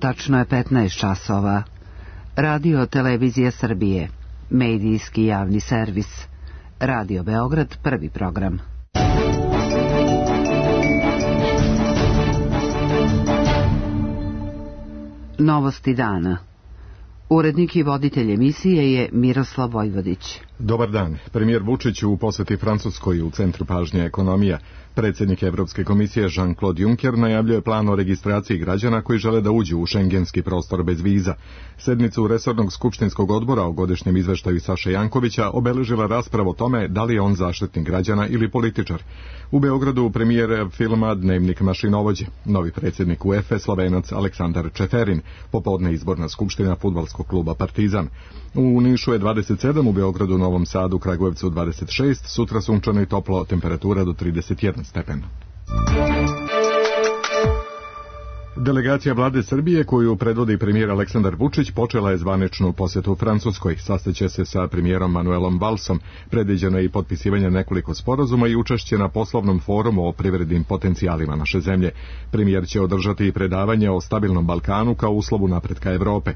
Tačno je 15 časova. Radio Televizija Srbije. Medijski javni servis. Radio Beograd, prvi program. Novosti dana. Urednik i voditelj emisije je Miroslav Vojvodić. Dobar dan. Premijer Vučić u posjeti Francuskoj u centru pažnje ekonomija. Predsjednik Evropske komisije Jean-Claude Juncker najavljuje plan o registraciji građana koji žele da uđu u šengenski prostor bez viza. Sednicu resornog skupštinskog odbora o godišnjem izveštaju Saše Jankovića obeležila rasprava o tome da li je on zaštitnik građana ili političar. U Beogradu premijer filma Dnevnik mašinovođe. Novi predsjednik UEFA Slovenac Aleksandar Čeferin. Popodne izborna skupština fudbalskog kluba Partizan. U Nišu je 27, u Beogradu, Novom Sadu, Kragujevcu 26, sutra sunčano i toplo, temperatura do 31 stepen. Delegacija vlade Srbije, koju predvodi premijer Aleksandar Vučić, počela je zvaničnu posjetu Francuskoj. Sastaće se sa premijerom Manuelom Valsom. Predviđeno je i potpisivanje nekoliko sporazuma i učešće na poslovnom forumu o privrednim potencijalima naše zemlje. Premijer će održati i predavanje o stabilnom Balkanu kao uslovu napretka Evrope.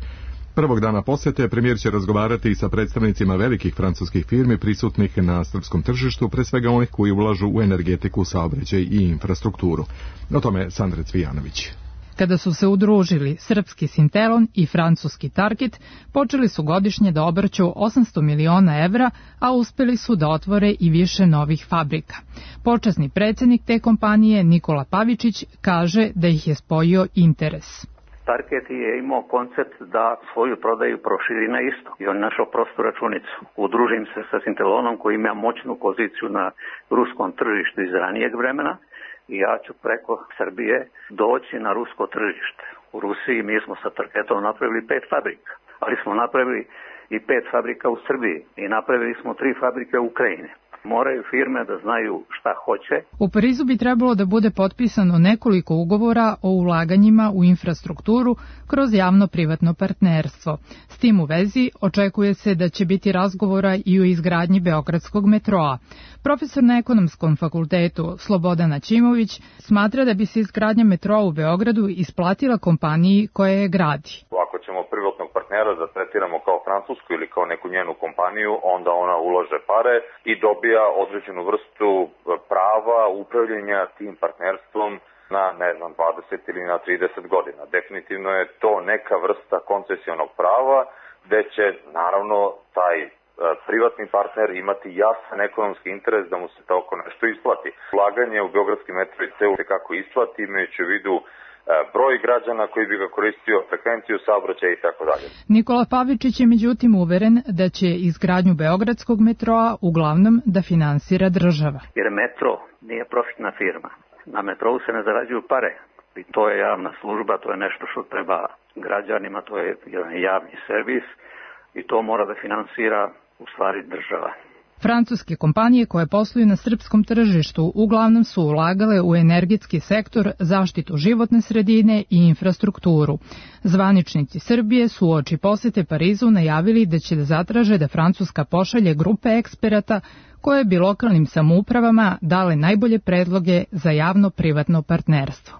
Prvog dana posjete premijer će razgovarati i sa predstavnicima velikih francuskih firmi prisutnih na srpskom tržištu, pre svega onih koji ulažu u energetiku, saobraćaj i infrastrukturu. O tome Sandra Cvijanović. Kada su se udružili srpski Sintelon i francuski Target, počeli su godišnje da obrću 800 miliona evra, a uspeli su da otvore i više novih fabrika. Počasni predsjednik te kompanije Nikola Pavičić kaže da ih je spojio interes. Target je imao koncept da svoju prodaju proširi na istok i on našao prostu računicu. Udružim se sa Sintelonom koji ima moćnu poziciju na ruskom tržištu iz ranijeg vremena i ja ću preko Srbije doći na rusko tržište. U Rusiji mi smo sa Targetom napravili 5 fabrika, ali smo napravili i 5 fabrika u Srbiji i napravili smo 3 fabrike u Ukrajini. Moraju firme da znaju šta hoće. U Parizu bi trebalo da bude potpisano nekoliko ugovora o ulaganjima u infrastrukturu kroz javno-privatno partnerstvo. S tim u vezi očekuje se da će biti razgovora i o izgradnji Beogradskog metroa. Profesor na Ekonomskom fakultetu Slobodan Aćimović smatra da bi se izgradnja metroa u Beogradu isplatila kompaniji koja je gradi. Ako ćemo privatnog partnera da tretiramo kao francusku ili kao neku njenu kompaniju, onda ona ulaže pare i dobija određenu vrstu prava upravljanja tim partnerstvom na, 20 ili na 30 godina. Definitivno je to neka vrsta koncesionog prava, gde će, naravno, taj privatni partner imati jasan ekonomski interes da mu se tako nešto isplati. Ulaganje u Beogradski metro se kako isplati, imajući u vidu broj građana koji bi ga koristio, frekvenciju saobraćaja i tako dalje. Nikola Pavičić je međutim uveren da će izgradnju Beogradskog metroa uglavnom da finansira država. Jer metro nije profitna firma. Na metrou se ne zarađuju pare. I to je javna služba, to je nešto što treba građanima, to je jedan javni servis i to mora da finansira u stvari država. Francuske kompanije koje posluju na srpskom tržištu uglavnom su ulagale u energetski sektor, zaštitu životne sredine i infrastrukturu. Zvaničnici Srbije su uoči posete Parizu najavili da će da zatraže da Francuska pošalje grupe eksperata koje bi lokalnim samoupravama dale najbolje predloge za javno-privatno partnerstvo.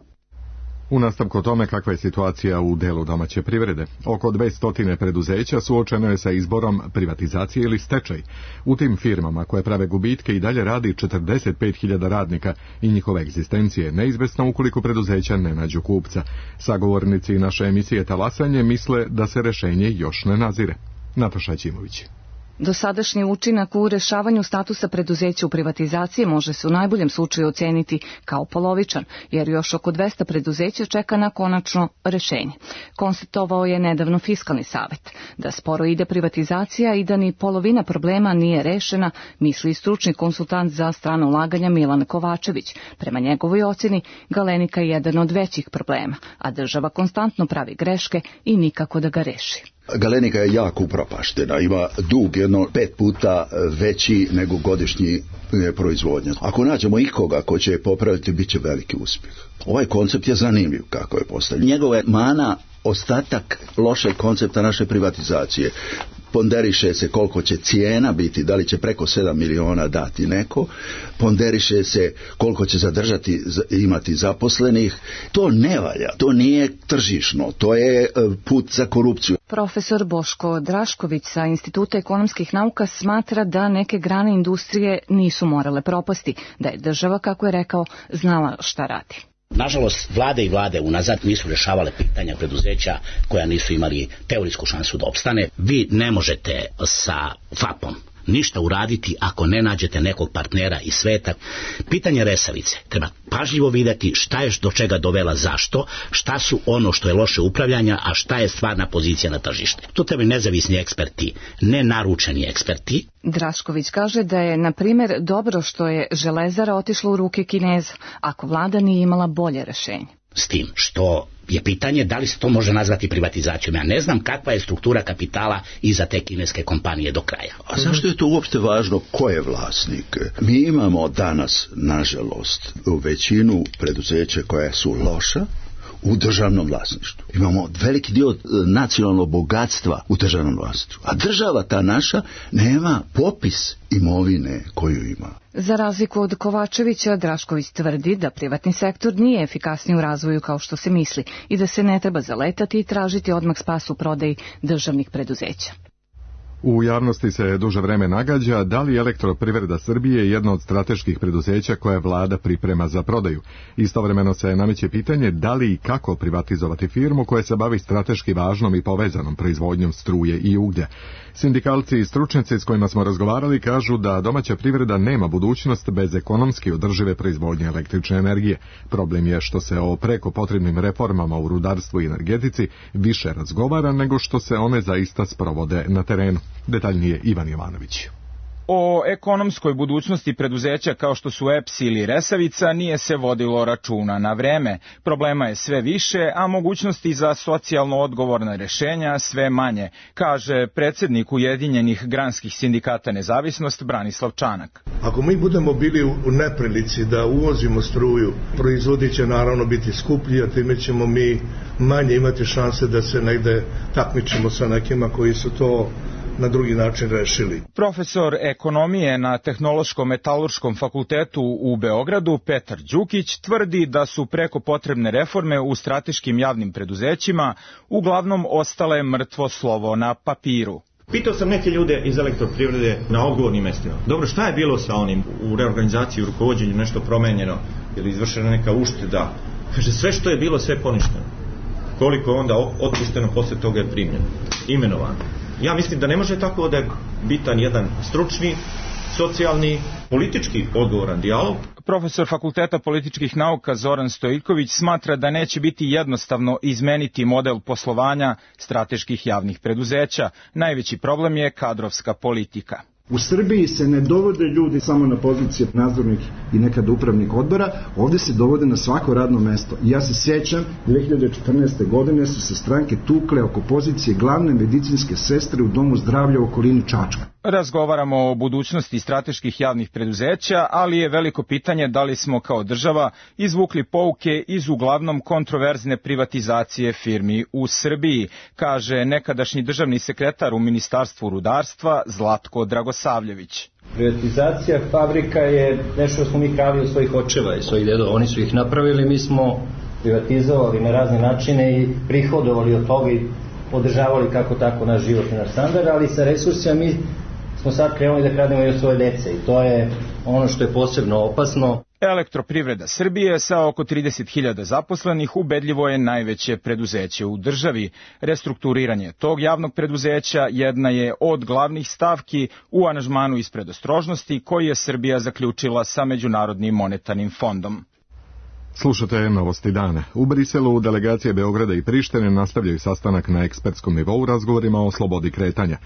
U nastavku o tome kakva je situacija u delu domaće privrede. Oko 200 preduzeća suočeno je sa izborom privatizacije ili stečaj. U tim firmama koje prave gubitke i dalje radi 45.000 radnika i njihova egzistencija je neizvesna ukoliko preduzeća ne nađu kupca. Sagovornici naše emisije Talasanje misle da se rešenje još ne nazire. Nataša Ćimović. Dosadašnji učinak u rešavanju statusa preduzeća u privatizaciji može se u najboljem slučaju oceniti kao polovičan, jer još oko 200 preduzeća čeka na konačno rešenje. Konstatovao je nedavno Fiskalni savet. Da sporo ide privatizacija i da ni polovina problema nije rešena, misli stručni konsultant za strano ulaganja Milan Kovačević. Prema njegovoj oceni, Galenika je jedan od većih problema, a država konstantno pravi greške i nikako da ga reši. Galenika je jako upropaštena, ima dug jedno 5 puta veći nego godišnji proizvodnja. Ako nađemo ikoga ko će je popraviti, bit će veliki uspjeh. Ovaj koncept je zanimljiv kako je postavljen. Njegova je mana ostatak lošeg koncepta naše privatizacije. ponderiše se koliko će cijena biti, da li će preko 7 miliona dati neko, ponderiše se koliko će zadržati, imati zaposlenih. To ne valja, to nije tržišno, to je put za korupciju. Profesor Boško Drašković sa Instituta ekonomskih nauka smatra da neke grane industrije nisu morale propasti, da je država, kako je rekao, znala šta radi. Nažalost, vlade i vlade unazad nisu rješavale pitanja preduzeća koja nisu imali teorijsku šansu da opstane. Vi ne možete sa FAP-om ništa uraditi ako ne nađete nekog partnera iz sveta. Pitanje Resavice treba pažljivo vidjeti šta je do čega dovela, zašto, šta su ono što je loše upravljanja, a šta je stvarna pozicija na tržište. Tu treba nezavisni eksperti, ne naručeni eksperti. Drašković kaže da je, na primjer, dobro što je Železara otišla u ruke Kineza, ako vlada nije imala bolje rješenje. S tim što je pitanje da li se to može nazvati privatizacijom. Ja ne znam kakva je struktura kapitala iza te kineske kompanije do kraja. A zašto je to uopšte važno ko je vlasnik? Mi imamo danas, nažalost, većinu preduzeća koja su loša u državnom vlasništvu. Imamo veliki dio nacionalnog bogatstva u državnom vlasništvu. A država ta naša nema popis imovine koju ima. Za razliku od Kovačevića, Drašković tvrdi da privatni sektor nije efikasniji u razvoju kao što se misli i da se ne treba zaletati i tražiti odmah spas u prodaji državnih preduzeća. U javnosti se duže vreme nagađa da li Elektroprivreda Srbije je jedno od strateških preduzeća koje vlada priprema za prodaju. Istovremeno se nameće pitanje da li i kako privatizovati firmu koja se bavi strateški važnom i povezanom proizvodnjom struje i uglja. Sindikalci i stručnjaci s kojima smo razgovarali kažu da domaća privreda nema budućnost bez ekonomski održive proizvodnje električne energije. Problem je što se o preko potrebnim reformama u rudarstvu i energetici više razgovara nego što se one zaista sprovode na terenu. Detaljnije Ivan Jovanović. O ekonomskoj budućnosti preduzeća kao što su EPS ili Resavica nije se vodilo računa na vreme. Problema je sve više, a mogućnosti za socijalno odgovorna rješenja sve manje, kaže predsjednik Ujedinjenih granskih sindikata Nezavisnost Branislav Čanak. Ako mi budemo bili u neprilici da uvozimo struju, proizvodi će naravno biti skuplji, a time ćemo mi manje imati šanse da se negde takmičimo sa nekima koji su to na drugi način rešili. Profesor ekonomije na Tehnološko-metalurškom fakultetu u Beogradu Petar Đukić tvrdi da su preko potrebne reforme u strateškim javnim preduzećima uglavnom ostale mrtvo slovo na papiru. Pitao sam neke ljude iz Elektroprivrede na odgovornim mestima. Dobro, šta je bilo sa onim u reorganizaciji, u rukovođenju, nešto promenjeno ili izvršena neka ušteda? Kaže, sve što je bilo, sve poništeno. Koliko je onda otpušteno, posle toga je primljeno, imenovano. Ja mislim da ne može tako da je bitan jedan stručni, socijalni, politički odgovoran dijalog. Profesor Fakulteta političkih nauka Zoran Stojković smatra da neće biti jednostavno izmeniti model poslovanja strateških javnih preduzeća. Najveći problem je kadrovska politika. U Srbiji se ne dovode ljudi samo na pozicije nadzornih i nekada upravnih odbora, ovdje se dovode na svako radno mesto. I ja se sjećam, 2014. godine su se stranke tukle oko pozicije glavne medicinske sestre u domu zdravlja u okolini Čačka. Razgovaramo o budućnosti strateških javnih preduzeća, ali je veliko pitanje da li smo kao država izvukli pouke iz uglavnom kontroverzne privatizacije firmi u Srbiji, kaže nekadašnji državni sekretar u Ministarstvu rudarstva Zlatko Dragosavljević. Privatizacija fabrika je nešto što smo mi krali od svojih očeva i svojih dedova. Oni su ih napravili, mi smo privatizovali na razne načine i prihodovali od toga i održavali kako tako naš život i naš standard, ali sa resursima mi smo sad krenuli da krademo i od svoje dece i to je ono što je posebno opasno. Elektroprivreda Srbije sa oko 30.000 zaposlenih ubedljivo je najveće preduzeće u državi. Restrukturiranje tog javnog preduzeća jedna je od glavnih stavki u aranžmanu iz predostrožnosti koji je Srbija zaključila sa Međunarodnim monetarnim fondom. Slušate Novosti dana. U Briselu delegacije Beograda i Prištine nastavljaju sastanak na ekspertskom nivou razgovorima o slobodi kretanja.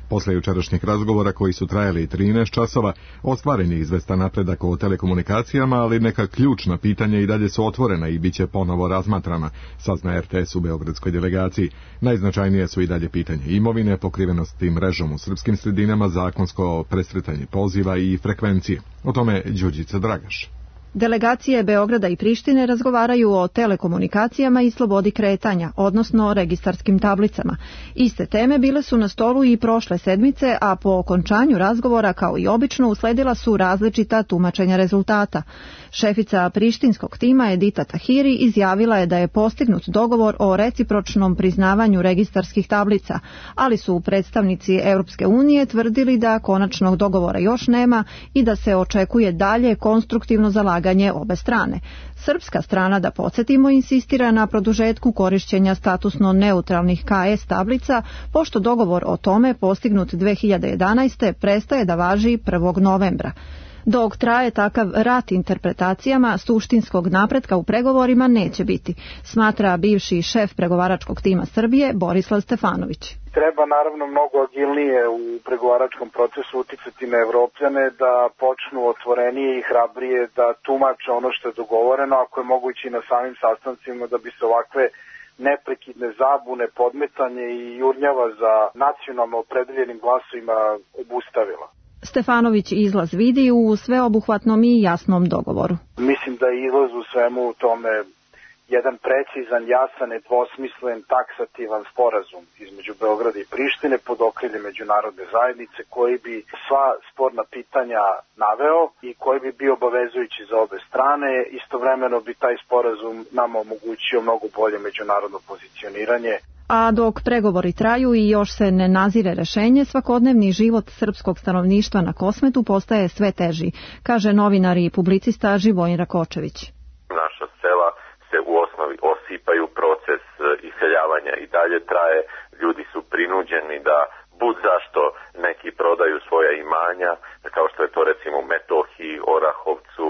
Posle jučerašnjih razgovora koji su trajali 13 časova, ostvaren je izvestan napredak o telekomunikacijama, ali neka ključna pitanja i dalje su otvorena i bit će ponovo razmatrana, sazna RTS u beogradskoj delegaciji. Najznačajnije su i dalje pitanje imovine, pokrivenosti mrežom u srpskim sredinama, zakonsko presretanje poziva i frekvencije. O tome Đurđica Dragaš. Delegacije Beograda i Prištine razgovaraju o telekomunikacijama i slobodi kretanja, odnosno o registarskim tablicama. Iste teme bile su na stolu i prošle sedmice, a po okončanju razgovora, kao i obično, usledila su različita tumačenja rezultata. Šefica prištinskog tima Edita Tahiri izjavila je da je postignut dogovor o recipročnom priznavanju registarskih tablica, ali su predstavnici Europske unije tvrdili da konačnog dogovora još nema i da se očekuje dalje konstruktivno zalaganje obe strane. Srpska strana, da podsjetimo, insistira na produžetku korišćenja statusno neutralnih KS tablica, pošto dogovor o tome postignut 2011. prestaje da važi 1. novembra. Dok traje takav rat interpretacijama, suštinskog napretka u pregovorima neće biti, smatra bivši šef pregovaračkog tima Srbije Borislav Stefanović. Treba naravno mnogo agilnije u pregovaračkom procesu uticati na Evropljane da počnu otvorenije i hrabrije da tumače ono što je dogovoreno, ako je moguće i na samim sastancima, da bi se ovakve neprekidne zabune, podmetanje i jurnjava za nacionalno opredeljenim glasovima obustavila. Stefanović izlaz vidi u sveobuhvatnom i jasnom dogovoru. Mislim da je izlaz u svemu tome jedan precizan, jasan, nedvosmislen, taksativan sporazum između Beograda i Prištine pod okriljem međunarodne zajednice koji bi sva sporna pitanja naveo i koji bi bio obavezujući za obe strane. Istovremeno bi taj sporazum nam omogućio mnogo bolje međunarodno pozicioniranje. A dok pregovori traju i još se ne nazire rešenje, svakodnevni život srpskog stanovništva na Kosmetu postaje sve teži, kaže novinar i publicista Živojin Rakočević. Naša sela se u osnovi osipaju, proces iseljavanja i dalje traje, ljudi su prinuđeni da bud zašto neki prodaju svoja imanja, kao što je to recimo u Metohiji, Orahovcu,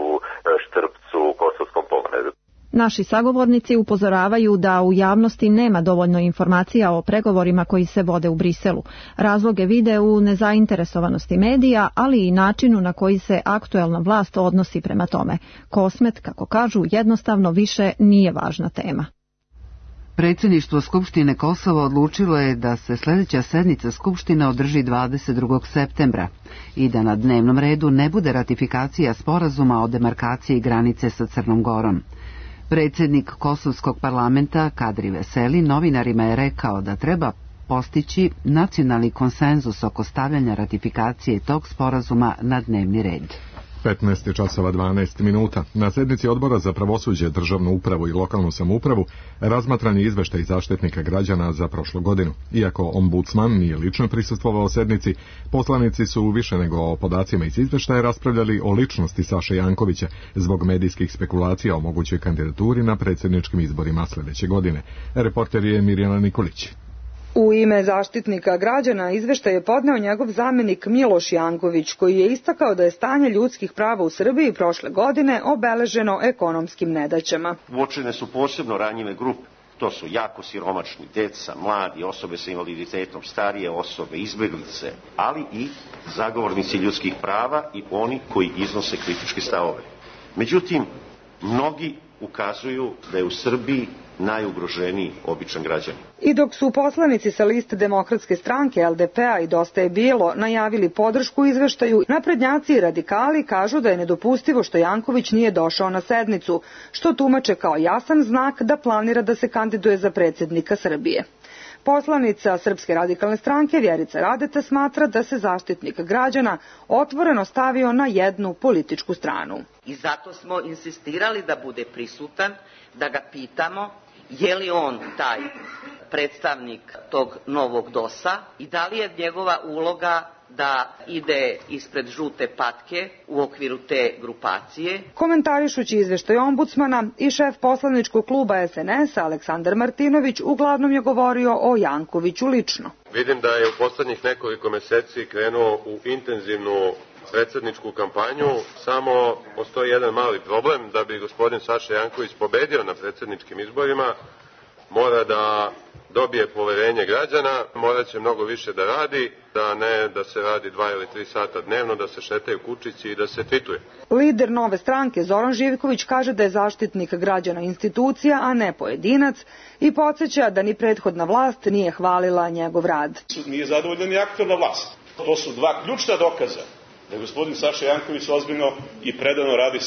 Štrpcu, Kosovskom pomoredu. Naši sagovornici upozoravaju da u javnosti nema dovoljno informacija o pregovorima koji se vode u Briselu. Razloge vide u nezainteresovanosti medija, ali i načinu na koji se aktuelna vlast odnosi prema tome. Kosmet, kako kažu, jednostavno više nije važna tema. Predsjedništvo Skupštine Kosova odlučilo je da se sljedeća sednica Skupštine održi 22. septembra i da na dnevnom redu ne bude ratifikacija sporazuma o demarkaciji granice sa Crnom Gorom. Predsjednik Kosovskog parlamenta Kadri Veseli novinarima je rekao da treba postići nacionalni konsenzus oko stavljanja ratifikacije tog sporazuma na dnevni red. 15:12. Na sednici Odbora za pravosuđe, državnu upravu i lokalnu samoupravu razmatran je izveštaj Zaštitnika građana za prošlu godinu. Iako ombudsman nije lično prisustvovao sednici, poslanici su više nego o podacima iz izveštaja raspravljali o ličnosti Saše Jankovića zbog medijskih spekulacija o mogućoj kandidaturi na predsjedničkim izborima sljedeće godine. Reporter je Mirjana Nikolić. U ime Zaštitnika građana izveštaj je podneo njegov zamjenik Miloš Janković, koji je istakao da je stanje ljudskih prava u Srbiji prošle godine obeleženo ekonomskim nedaćama. Uočene su posebno ranjive grupe. To su jako siromašni, deca, mladi, osobe sa invaliditetom, starije osobe, izbjeglice, ali i zagovornici ljudskih prava i oni koji iznose kritičke stavove. Međutim, mnogi ukazuju da je u Srbiji najugroženiji običan građanin. I dok su poslanici sa liste Demokratske stranke, LDP-a i Dosta je bilo najavili podršku izveštaju, naprednjaci i radikali kažu da je nedopustivo što Janković nije došao na sednicu, što tumače kao jasan znak da planira da se kandiduje za predsjednika Srbije. Poslanica Srpske radikalne stranke Vjerica Radeta smatra da se Zaštitnik građana otvoreno stavio na jednu političku stranu. I zato smo insistirali da bude prisutan, da ga pitamo je li on taj predstavnik tog novog DOS-a i da li je njegova uloga da ide ispred žute patke u okviru te grupacije. Komentarišući izveštaj ombudsmana i šef poslaničkog kluba SNS Aleksandar Martinović uglavnom je govorio o Jankoviću lično. Vidim da je u poslednjih nekoliko meseci krenuo u intenzivnu predsjedničku kampanju, samo postoji jedan mali problem. Da bi gospodin Saša Janković pobedio na predsjedničkim izborima, mora da dobije poverenje građana, morat će mnogo više da radi, da ne da se radi 2 ili 3 sata dnevno, da se šetaju kučići i da se tvituje. Lider Nove stranke Zoran Živković kaže da je Zaštitnik građana institucija, a ne pojedinac, i podsjeća da ni prethodna vlast nije hvalila njegov rad. Nije zadovoljna ni aktualna vlast. To su dva ključna dokaza da gospodin Saša Janković ozbiljno i predano radi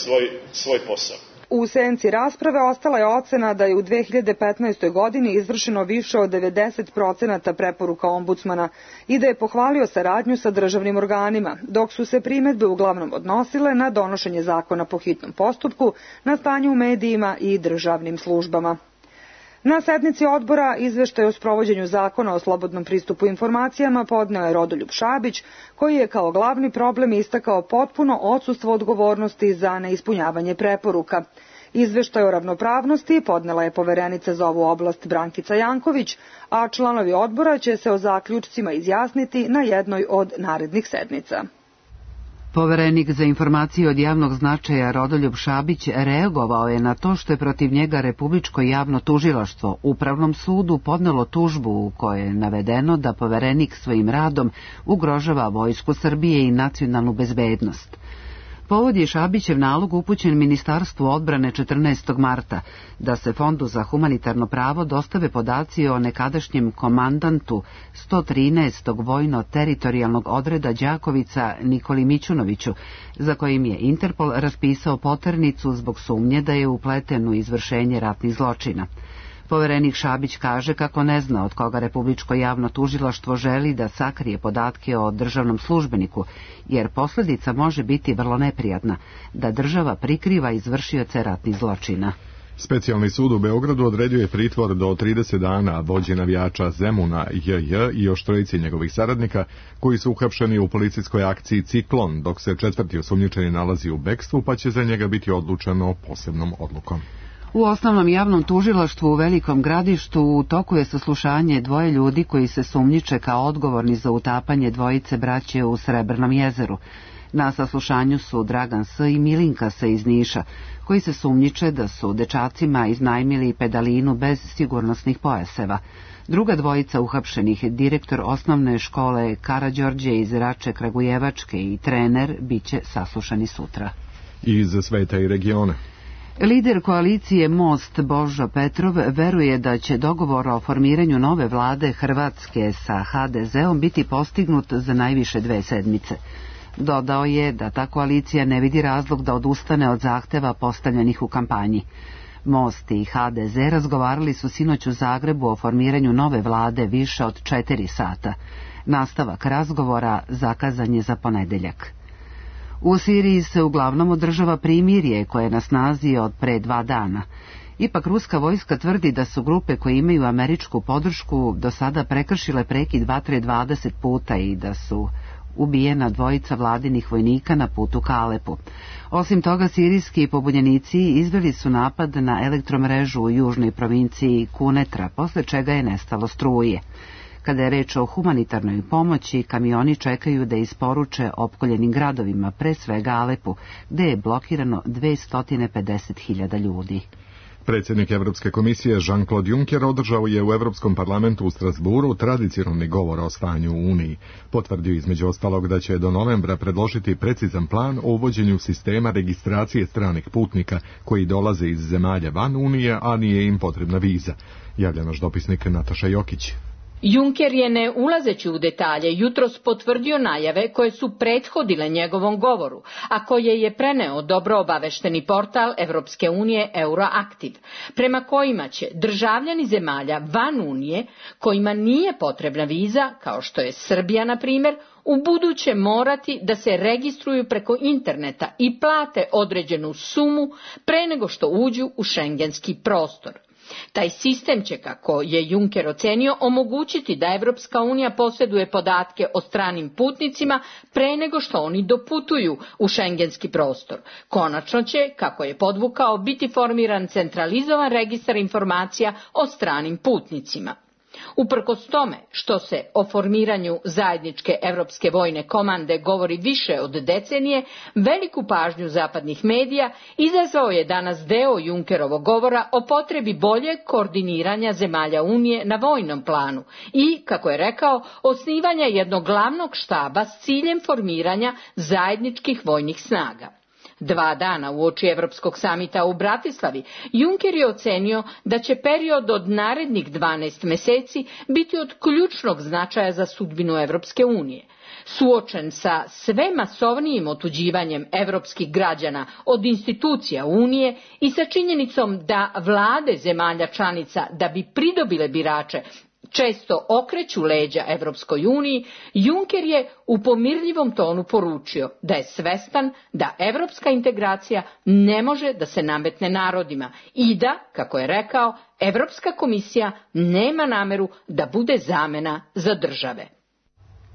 svoj posao. U senci rasprave ostala je ocena da je u 2015. godini izvršeno više od 90% preporuka ombudsmana i da je pohvalio saradnju sa državnim organima, dok su se primedbe uglavnom odnosile na donošenje zakona po hitnom postupku, na stanje u medijima i državnim službama. Na sednici odbora izveštaj o sprovođenju zakona o slobodnom pristupu informacijama podneo je Rodoljub Šabić, koji je kao glavni problem istakao potpuno odsustvo odgovornosti za neispunjavanje preporuka. Izveštaj o ravnopravnosti podnela je poverenica za ovu oblast Brankica Janković, a članovi odbora će se o zaključcima izjasniti na jednoj od narednih sednica. Poverenik za informacije od javnog značaja Rodoljub Šabić reagovao je na to što je protiv njega Republičko javno tužilaštvo Upravnom sudu podnelo tužbu u kojoj je navedeno da poverenik svojim radom ugrožava Vojsku Srbije i nacionalnu bezbednost. Povod je Šabićev nalog upućen Ministarstvu odbrane 14. marta da se Fondu za humanitarno pravo dostave podaci o nekadašnjem komandantu 113. vojno-teritorijalnog odreda Đakovica Nikoli Mićunoviću, za kojim je Interpol raspisao poternicu zbog sumnje da je upleten u izvršenje ratnih zločina. Poverenik Šabić kaže kako ne zna od koga Republičko javno tužilaštvo želi da sakrije podatke o državnom službeniku, jer posljedica može biti vrlo neprijatna, da država prikriva izvršioce ratnih zločina. Specijalni sud u Beogradu odredio je pritvor do 30 dana vođi navijača Zemuna JJ i još trojici njegovih saradnika koji su uhapšeni u policijskoj akciji Ciklon, dok se četvrti osumnjičeni nalazi u bekstvu, pa će za njega biti odlučeno posebnom odlukom. U osnovnom javnom tužilaštvu u Velikom Gradištu u toku je saslušanje dvoje ljudi koji se sumnjiče kao odgovorni za utapanje dvojice braće u Srebrnom jezeru. Na saslušanju su Dragan S. i Milinka S. iz Niša, koji se sumnjiče da su dečacima iznajmili pedalinu bez sigurnosnih pojaseva. Druga dvojica uhapšenih, direktor osnovne škole Karađorđe iz Rače Kragujevačke i trener, biće saslušani sutra. Iz sveta i regione. Lider koalicije Most Božo Petrov veruje da će dogovor o formiranju nove vlade Hrvatske sa HDZ-om biti postignut za najviše 2 sedmice. Dodao je da ta koalicija ne vidi razlog da odustane od zahteva postavljenih u kampanji. Most i HDZ razgovarali su sinoć u Zagrebu o formiranju nove vlade više od 4 sata. Nastavak razgovora zakazan je za ponedeljak. U Siriji se uglavnom održava primirje koje je na snazi od pre 2 dana. Ipak ruska vojska tvrdi da su grupe koje imaju američku podršku do sada prekršile prekid vatre 20 puta i da su ubijena 2 vladinih vojnika na putu ka Alepu. Osim toga, sirijski pobunjenici izveli su napad na elektromrežu u južnoj provinciji Kunetra, posle čega je nestalo struje. Kada je reč o humanitarnoj pomoći, kamioni čekaju da isporuče opkoljenim gradovima, pre svega Alepu, gde je blokirano 250.000 ljudi. Predsjednik Evropske komisije Jean-Claude Juncker održao je u Evropskom parlamentu u Strasburu tradicionalni govor o stanju u Uniji. Potvrdio između ostalog da će do novembra predložiti precizan plan o uvođenju sistema registracije stranih putnika koji dolaze iz zemalja van Unije, a nije im potrebna viza. Javlja naš dopisnik Nataša Jokić. Juncker je, ne ulazeći u detalje, jutros potvrdio najave koje su prethodile njegovom govoru, a koje je preneo dobro obavešteni portal Evropske unije Euroaktiv, prema kojima će državljani zemalja van Unije, kojima nije potrebna viza, kao što je Srbija na primjer, u buduće morati da se registruju preko interneta i plate određenu sumu pre nego što uđu u šengenski prostor. Taj sistem će, kako je Juncker ocenio, omogućiti da Evropska unija posjeduje podatke o stranim putnicima pre nego što oni doputuju u šengenski prostor. Konačno će, kako je podvukao, biti formiran centralizovan registar informacija o stranim putnicima. Uprkos tome što se o formiranju zajedničke evropske vojne komande govori više od decenije, veliku pažnju zapadnih medija izazvao je danas deo Junckerovog govora o potrebi boljeg koordiniranja zemalja Unije na vojnom planu i, kako je rekao, osnivanja jednog glavnog štaba s ciljem formiranja zajedničkih vojnih snaga. 2 dana uoči Evropskog samita u Bratislavi, Juncker je ocenio da će period od narednih 12 meseci biti od ključnog značaja za sudbinu Evropske unije. Suočen sa sve masovnijim otuđivanjem evropskih građana od institucija Unije i sa činjenicom da vlade zemalja članica, da bi pridobile birače, često okreću leđa Evropskoj uniji, Juncker je u pomirljivom tonu poručio da je svestan da evropska integracija ne može da se nametne narodima i da, kako je rekao, Evropska komisija nema nameru da bude zamena za države.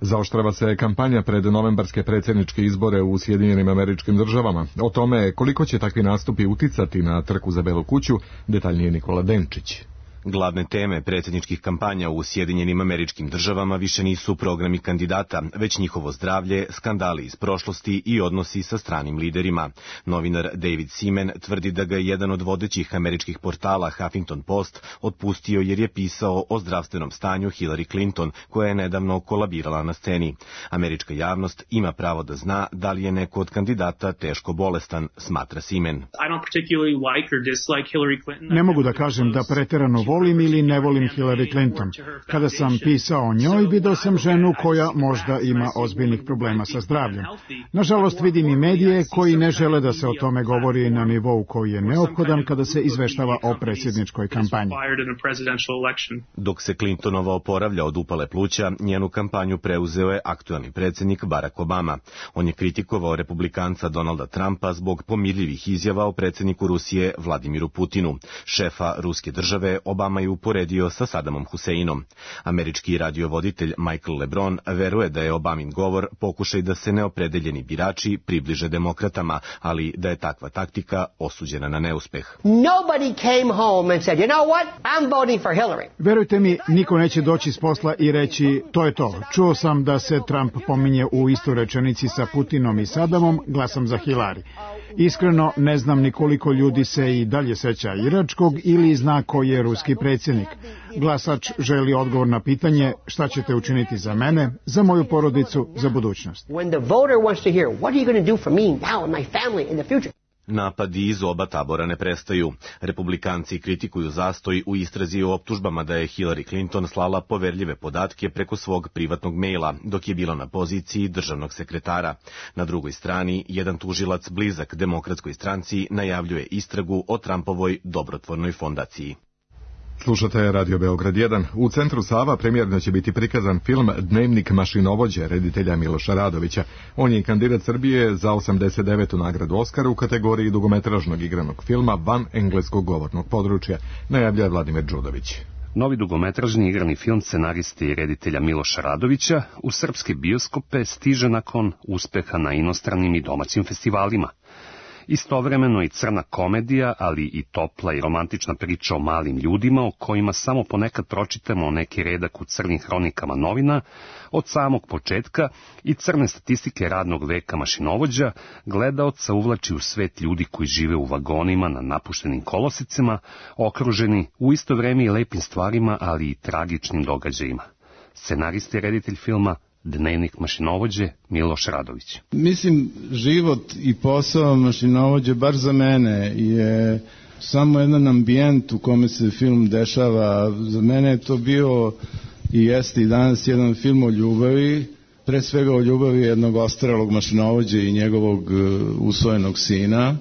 Zaoštrava se kampanja pred novembarske predsjedničke izbore u Sjedinjenim Američkim Državama. O tome koliko će takvi nastupi uticati na trku za Belu kuću, detaljnije Nikola Denčić. Glavne teme predsjedničkih kampanja u Sjedinjenim Američkim Državama više nisu programi kandidata, već njihovo zdravlje, skandali iz prošlosti i odnosi sa stranim liderima. Novinar David Seaman tvrdi da ga je jedan od vodećih američkih portala Huffington Post otpustio jer je pisao o zdravstvenom stanju Hillary Clinton, koja je nedavno kolabirala na sceni. Američka javnost ima pravo da zna da li je neko od kandidata teško bolestan, smatra Seaman. Ne mogu da kažem da preterano volim ili ne volim Hillary Clinton. Kada sam pisao o njoj, video sam ženu koja možda ima ozbiljnih problema sa zdravljem. Nažalost, vidim i medije koji ne žele da se o tome govori na nivou koji je neophodan kada se izveštava o predsjedničkoj kampanji. Dok se Clintonova oporavlja od upale pluća, njenu kampanju preuzeo je aktuelni predsjednik Barack Obama. On je kritikovao republikanca Donalda Trumpa zbog pomirljivih izjava o predsjedniku Rusije Vladimiru Putinu. Šefa ruske države Obama je uporedio sa Sadamom Huseinom. Američki radiovoditelj Michael LeBron veruje da je Obamin govor pokušaj da se neopredeljeni birači približe demokratama, ali da je takva taktika osuđena na neuspeh. Verujte mi, niko neće doći s posla i reći to je to. Čuo sam da se Trump pominje u istoj rečenici sa Putinom i Sadamom, glasam za Hillary. Iskreno, ne znam ni koliko ljudi se i dalje seća iračkog ili zna ko je ruski predsjednik. Glasač želi odgovor na pitanje šta ćete učiniti za mene, za moju porodicu, za budućnost. Napadi iz oba tabora ne prestaju. Republikanci kritikuju zastoj u istrazi o optužbama da je Hillary Clinton slala poverljive podatke preko svog privatnog maila, dok je bila na poziciji državnog sekretara. Na drugoj strani, jedan tužilac blizak Demokratskoj stranci najavljuje istragu o Trumpovoj dobrotvornoj fondaciji. Slušate Radio Beograd 1. U Centru Sava premijerno će biti prikazan film Dnevnik mašinovođe reditelja Miloša Radovića. On je kandidat Srbije za 89. nagradu Oskara u kategoriji dugometražnog igranog filma van engleskog govornog područja, najavljuje Vladimir Đudović. Novi dugometražni igrani film scenariste i reditelja Miloša Radovića u srpske bioskope stiže nakon uspeha na inostranim i domaćim festivalima. Istovremeno i crna komedija, ali i topla i romantična priča o malim ljudima o kojima samo ponekad pročitamo neki redak u crnim hronikama novina, od samog početka i crne statistike radnog veka mašinovođa, gledaoca uvlači u svet ljudi koji žive u vagonima na napuštenim kolosicama, okruženi u isto vreme i lepim stvarima, ali i tragičnim događajima. Scenarista i reditelj filma Dnevnik mašinovođe Miloš Radović. Mislim, život i posao mašinovođe, bar za mene, je samo jedan ambijent u kome se film dešava. Za mene je to bio i jeste i danas jedan film o ljubavi, pre svega o ljubavi jednog ostarelog mašinovođe i njegovog usvojenog sina,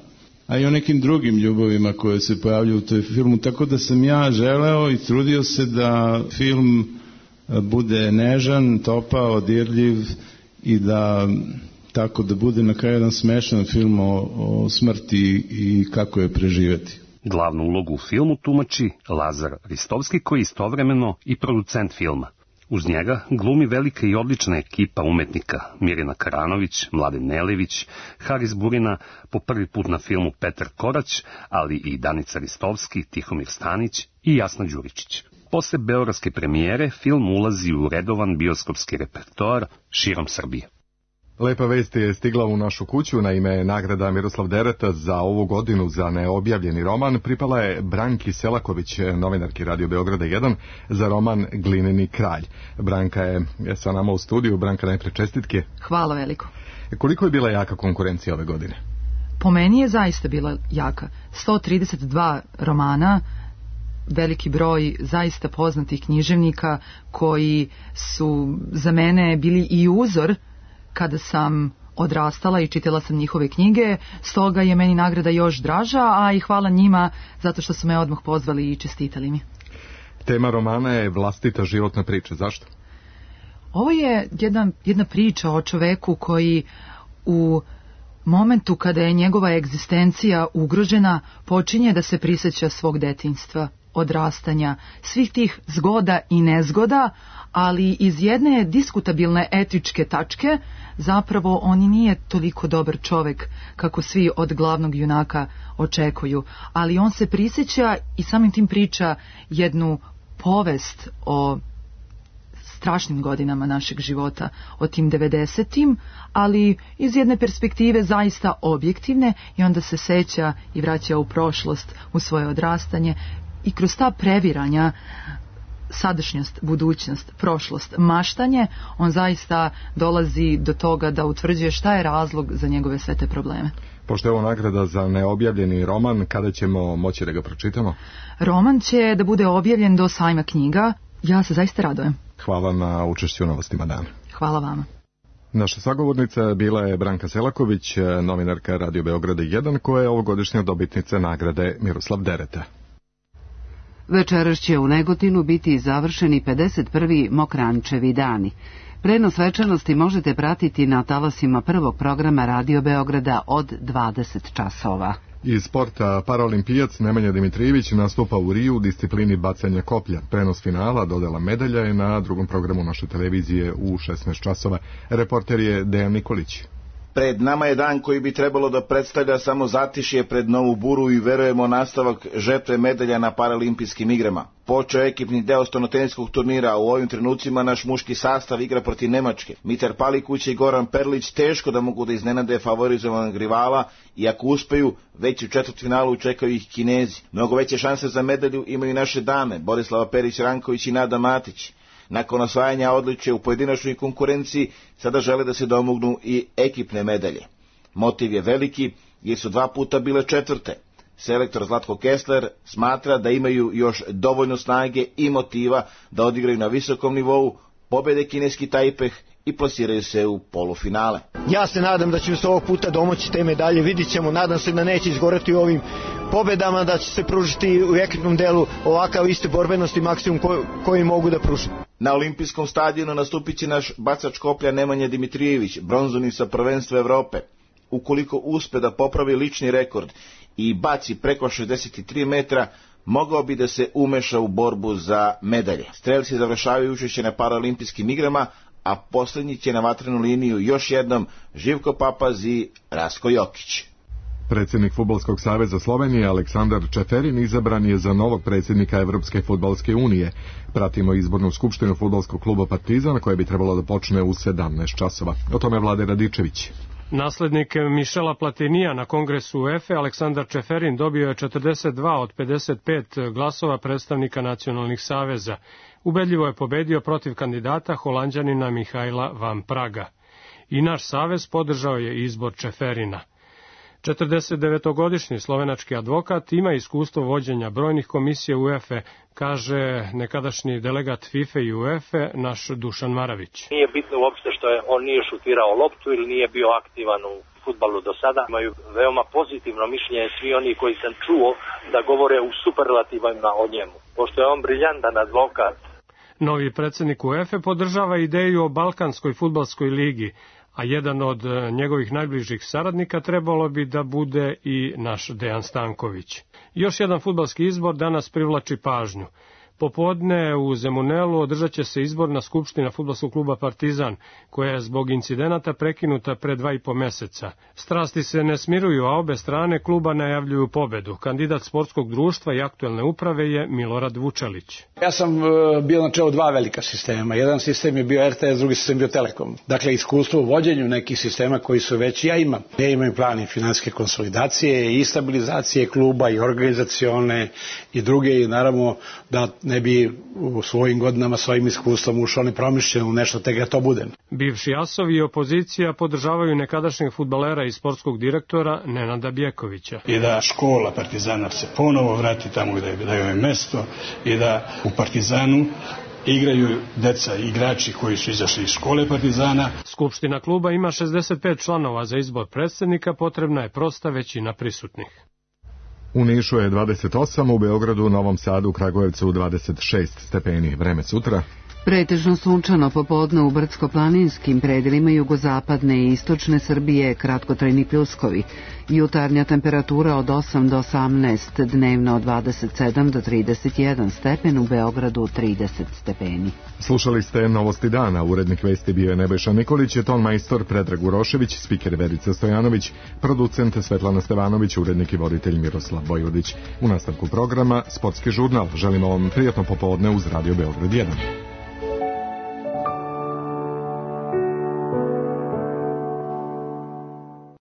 a i o nekim drugim ljubavima koje se pojavljaju u toj filmu. Tako da sam ja želeo i trudio se da film bude nežan, topao, dirljiv i da tako da bude na kraju jedan smešan film o smrti i kako je preživeti. Glavnu ulogu u filmu tumači Lazar Ristovski, koji je istovremeno i producent filma. Uz njega glumi velika i odlična ekipa umetnika Mirjana Karanović, Mladen Nelević, Haris Burina, po prvi put na filmu Petar Korać, ali i Danica Ristovski, Tihomir Stanić i Jasna Đuričić. Posle beogradske premijere, film ulazi u redovan bioskopski repertoar širom Srbije. Lepa vest je stigla u našu kuću. Naime, nagrada Miroslav Dereta za ovu godinu za neobjavljeni roman pripala je Branki Selaković, novinarki Radio Beograda 1, za roman Glineni kralj. Branka je sa nama u studiju. Branka, najpre čestitke. Hvala veliko. Koliko je bila jaka konkurencija ove godine? po meni je zaista bila jaka. 132 romana, veliki broj zaista poznatih književnika koji su za mene bili i uzor kada sam odrastala i čitala sam njihove knjige, stoga je meni nagrada još draža, a i hvala njima zato što su me odmah pozvali i čestitali mi. Tema romana je vlastita životna priča. Zašto? Ovo je jedna priča o čoveku koji u momentu kada je njegova egzistencija ugrožena počinje da se prisjeća svog detinjstva, odrastanja, svih tih zgoda i nezgoda, ali iz jedne diskutabilne etičke tačke zapravo on nije toliko dobar čovek kako svi od glavnog junaka očekuju, ali on se prisjeća i samim tim priča jednu povest o strašnim godinama našeg života, o tim 90-im, ali iz jedne perspektive zaista objektivne, i onda se seća i vraća u prošlost, u svoje odrastanje, i kroz ta previranja, sadašnjost, budućnost, prošlost, maštanje, on zaista dolazi do toga da utvrđuje šta je razlog za njegove sve te probleme. Pošto je ovo nagrada za neobjavljeni roman, kada ćemo moći da ga pročitamo? Roman će da bude objavljen do sajma knjiga. Ja se zaista radujem. Hvala na učešću u Novostima dana. Hvala vama. Naša sagovornica bila je Branka Selaković, novinarka Radio Beograda 1, koja je ovogodišnja dobitnica nagrade Miroslav Dereta. Večeras će u Negotinu biti završeni 51. Mokrančevi dani. Prenos svečanosti možete pratiti na talasima prvog programa Radio Beograda od 20 časova. Iz sporta paraolimpijac Nemanja Dimitrijević nastupa u Riju u disciplini bacanja koplja. Prenos finala, dodela medalja je na drugom programu naše televizije u 16 časova. Reporter je Dejan Nikolić. Pred nama je dan koji bi trebalo da predstavlja samo zatišje pred novu buru i verujemo nastavak žetve medalja na paralimpijskim igrama. Počeo je ekipni deo stolnoteniskog turnira, a u ovim trenucima naš muški sastav igra protiv Nemačke. Mitar Palikuć i Goran Perlić teško da mogu da iznenade favorizovanog rivala i ako uspeju, već u četvrtfinalu čekaju ih Kinezi. Mnogo veće šanse za medalju imaju naše dame, Borislava Perić-Ranković i Nada Matić. Nakon osvajanja odličja u pojedinačnoj konkurenciji, sada žele da se domognu i ekipne medalje. Motiv je veliki, jer su 2 puta bile četvrte. Selektor Zlatko Kessler smatra da imaju još dovoljno snage i motiva da odigraju na visokom nivou, pobede kineski Tajpeh i plasiraju se u polufinale. Ja se nadam da će se ovog puta domoći te medalje, vidit ćemo, nadam se da neće izgoreti u ovim pobedama, da će se pružiti u ekipnom delu ovakav isti borbenosti maksimum koji mogu da pruže. Na olimpijskom stadionu nastupit će naš bacač koplja Nemanja Dimitrijević, bronzovnik sa prvenstva Evrope. Ukoliko uspe da popravi lični rekord i baci preko 63 metra, mogao bi da se umeša u borbu za medalje. Strelci završavaju učešće na paraolimpijskim igrama, a posljednji će na vatrenu liniju još jednom Živko Papaz i Rasko Jokić. Predsjednik Fudbalskog saveza Slovenije Aleksandar Čeferin izabran je za novog predsjednika Evropske fudbalske unije. Pratimo izbornu skupštinu fudbalskog kluba Partizan koja bi trebalo da počne u 17 časova. O tome Vlade Radičević. Naslednik Mišela Platinija na kongresu UEFA Aleksandar Čeferin dobio je 42 od 55 glasova predstavnika nacionalnih saveza. Ubedljivo je pobedio protiv kandidata Holanđanina Mihajla Van Praga. I naš savez podržao je izbor Čeferina. 49-godišnji slovenački advokat ima iskustvo vođenja brojnih komisija UEFA, kaže nekadašnji delegat FIFA i UEFA naš Dušan Maravić. Nije bitno uopšte što on nije šutirao loptu ili nije bio aktivan u fudbalu do sada. Imaju veoma pozitivno mišljenje svi oni koji sam čuo da govore u superlativima o njemu. Pošto je on briljantan advokat. Novi predsjednik UEFA podržava ideju o Balkanskoj fudbalskoj ligi, a jedan od njegovih najbližih saradnika trebalo bi da bude i naš Dejan Stanković. Još jedan fudbalski izbor danas privlači pažnju. Popodne u Zemunelu održat će se izborna skupština fudbalskog kluba Partizan, koja je zbog incidenata prekinuta pre 2,5 meseca. Strasti se ne smiruju, a obe strane kluba najavljuju pobedu. Kandidat sportskog društva i aktuelne uprave je Milorad Vučelić. Ja sam bio na čelu 2 velika sistema. Jedan sistem je bio RTS, drugi sistem bio Telekom. Dakle, iskustvo u vođenju nekih sistema koji su već ja imam. Ja imam plan i finansijske konsolidacije i stabilizacije kluba i organizacione i druge i naravno da ne bi u svojim godinama svojim iskustvom ušao nepromišljeno u nešto, te ga to bude. Bivši asovi i opozicija podržavaju nekadašnjeg fudbalera i sportskog direktora Nenada Bjekovića. I da škola Partizana se ponovo vrati tamo gde je mesto i da u Partizanu igraju deca i igrači koji su izašli iz škole Partizana. Skupština kluba ima 65 članova, za izbor predsjednika potrebna je prosta većina prisutnih. U Nišu je 28, u Beogradu, Novom Sadu, Kragujevcu 26 stepeni. Vreme sutra. Pretežno sunčano popodne u brdsko-planinskim predelima jugozapadne i istočne Srbije, kratkotrajni pljuskovi. Jutarnja temperatura od 8 do 18, dnevno od 27 do 31 stepen, u Beogradu 30 stepeni. Slušali ste Novosti dana, urednik vesti bio je Nebojša Nikolić, ton majstor Predrag Urošević, spiker Verica Stojanović, producent Svetlana Stevanović, urednik i voditelj Miroslav Bojvodić. U nastavku programa Sportski žurnal. Želimo vam prijatno popodne uz Radio Beograd 1.